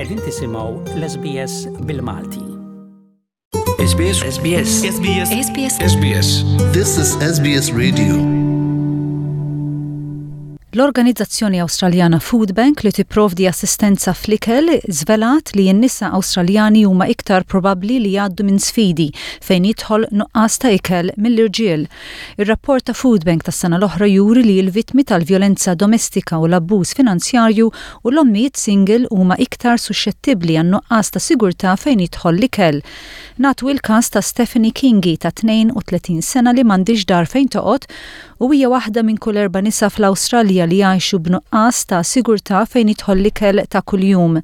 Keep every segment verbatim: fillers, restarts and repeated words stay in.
Qegħdin tisimgħu l-S B S bil-Malti. S B S S B S S B S S B S S B S. This is S B S Radio. L-organizzazzjoni Awstraljana Food Bank, li tipprovdi assistenza fl-ikel, żvelat li n-nisa Awstraljani huma iktar probabbli li jgħaddu minn sfidi fejn jidħol nuqqas ta' ikel mill-irġiel. Ir-rapport ta' Food Bank tas-sena l-oħra juri li l-vittmi tal-vjolenza domestika u l-abbuż finanzjarju u l-ommijiet single huma iktar suxxettibbli għan nuqqas ta' sigurtà fejn jidħol l-ikel. Nagħtu il-każ ta' Stephanie Kingi ta' tnejn u tletin sena li m'għandhiex dar fejn toqgħod u hija waħda minn kull erba' nisa fl-Awstralja li jgħixu b'nuqqas ta' sigurtà fejn jidħol l-ikel ta' kuljum.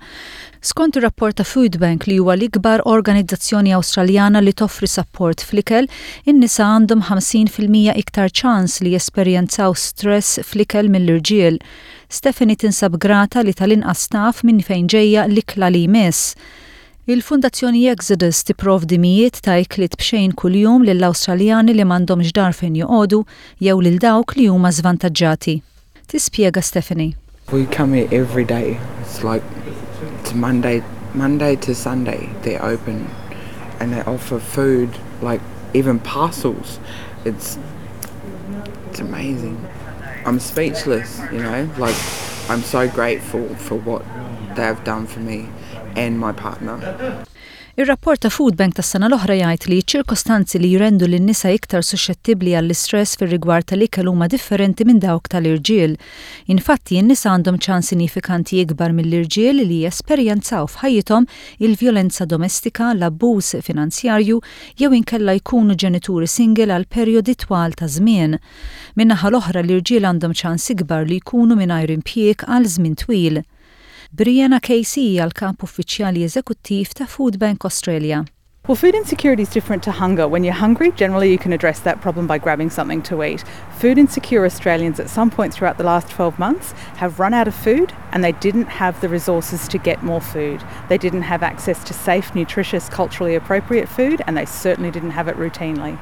Skont ir-rapport ta' Food Bank, li huwa l-ikbar organizzazzjoni Awstraljana li toffri sapport fl-ikel, in-nisa għandhom ħamsin fil-mija iktar ċans li jesperjenzaw stress fl-ikel mill-irġiel. Stephanie tinsab grata li tal-inqas taf minn fejn ġejja l-ikla li jmiss. Il-Fundazzjoni Exodus tipprovdi mijiet ta' ikliet b'xejn kuljum lill-Awstraljani li m'għandhomx dar fejn joqogħdu jew lil dawk li huma żvantaġġati. Tispjega Stephanie. We come here every day. It's like it's Monday, Monday to Sunday. They're open, and they offer food, like even parcels. It's it's amazing. I'm speechless, you know. Like, I'm so grateful for what they have done for me and my partner. Ir-rapport ta' Food Bank tas-sena l-oħra jgħid li ċ-ċirkostanzi li jrendu lin-nisa iktar suxxettibbli għall-istress fir-rigward tal-ikel huma differenti minn dawk tal-irġiel. Infatti, n-nisa għandhom ċans sinifikanti ikbar mill-irġiel li jesperjenzaw f'ħajjithom il-vjolenza domestika, l-abbuż finanzjarju jew inkella jkunu ġenituri single għal perjodi twal ta' żmien. Min-naħa l-oħra, l-irġiel għandhom ċans ikbar li jkunu mingħajr impjieg għal żmien twil. Brianna Casey hija l-kap uffiċjali eżekuttiv ta' Food Bank Australia. Well, food insecurity is different to hunger. When you're hungry, generally you can address that problem by grabbing something to eat. Food insecure Australians at some point throughout the last twelve months have run out of food and they didn't have the resources to get more food. They didn't have access to safe, nutritious, culturally appropriate food, and they certainly didn't have it routinely.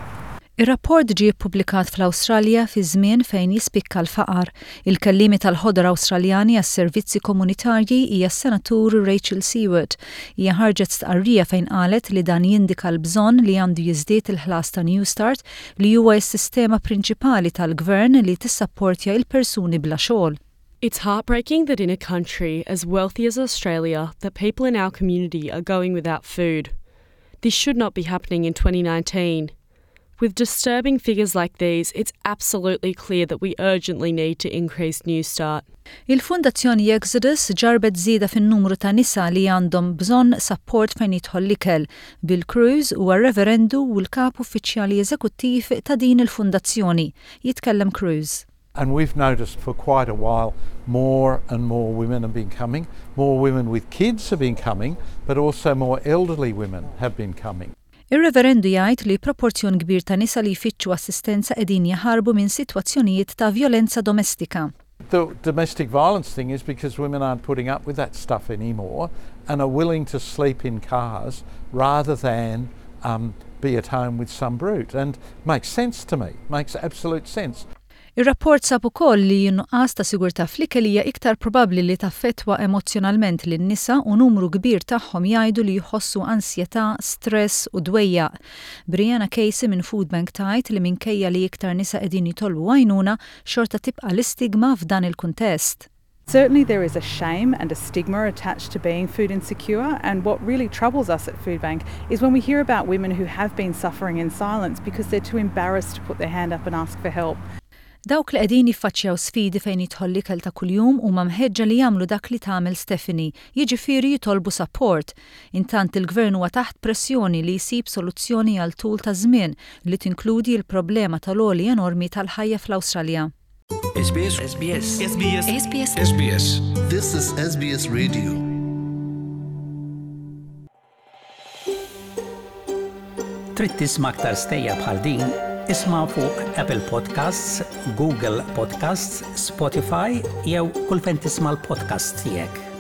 Ir-rapport ġie ppubblikat fl-Awstralja fi żmien fejn jispikka l-faqar. Il-kellimi tal-ħodor Awstraljani għas-servizzi komunitarji hija s-senatur Rachel Siewert. Hija ħarġet stqarrija fejn qalet li dan jindika l-bżonn li għandu jiżdied il-ħlas ta' Newstart, li huwa s-sistema prinċipali tal-gvern li tissapportja il-persuni bla xogħol. It's heartbreaking that in a country as wealthy as Australia, that people in our community are going without food. This should not be happening in twenty nineteen. With disturbing figures like these, it's absolutely clear that we urgently need to increase Newstart. Il-Fundazzjoni Exodus ġarbet żieda fin-numru ta' nisa li għandhom bżonn sapport fejn jidħol l-ikel. Bill Crews huwa reverendu u l-kap uffiċjali eżekuttiv ta' din il-fundazzjoni. Jitkellem Crews. And we've noticed for quite a while more and more women have been coming, more women with kids have been coming, but also more elderly women have been coming. Ir-reverendu jgħid li proporzjon kbir ta' nisa li jfittxu assistenza qegħdin jaħarbu minn sitwazzjonijiet ta' vjolenza domestika. The domestic violence thing is because women aren't putting up with that stuff anymore and are willing to sleep in cars rather than um, be at home with some brute. And makes sense to me, makes absolute sense. Ir-rapport sab ukoll li nuqqas ta' sigurtà fl-ikel hija iktar probabbli li taffettwa emozzjonalment lin-nisa u numru kbir tagħhom jgħidu li jħossu ansjetà, stress u dwejjaq. Brianna Casey minn Food Bank tgħid li minkejja li iktar nisa qegħdin jitolbu għajnuna, xorta tibqa' l-istigma f'dan il-kuntest. Certainly, there is a shame and a stigma attached to being food insecure, and what really troubles us at Food Bank is when we hear about women who have been suffering in silence because they're too embarrassed to put their hand up and ask for help. Dawk li qegħdin jiffaċċjaw sfidi fejn jidħol l-ikel ta' kuljum huma mħeġġa li jagħmlu dak li tagħmel Stephanie, jiġifieri jitolbu sapport. Intant, il-gvern huwa taħt pressjoni li jsib soluzzjoni għal tul ta' żmien li tinkludi l-problema tal-għoli enormi tal-ħajja fl-Awstralja. S B S S B S S B S S B S S B S. This is S B S Radio. Trid tisma' aktar stejjer bħal din? Isma' fuq Apple Podcasts, Google Podcasts, Spotify jew kull fejn tisma' l-podcast tiegħek.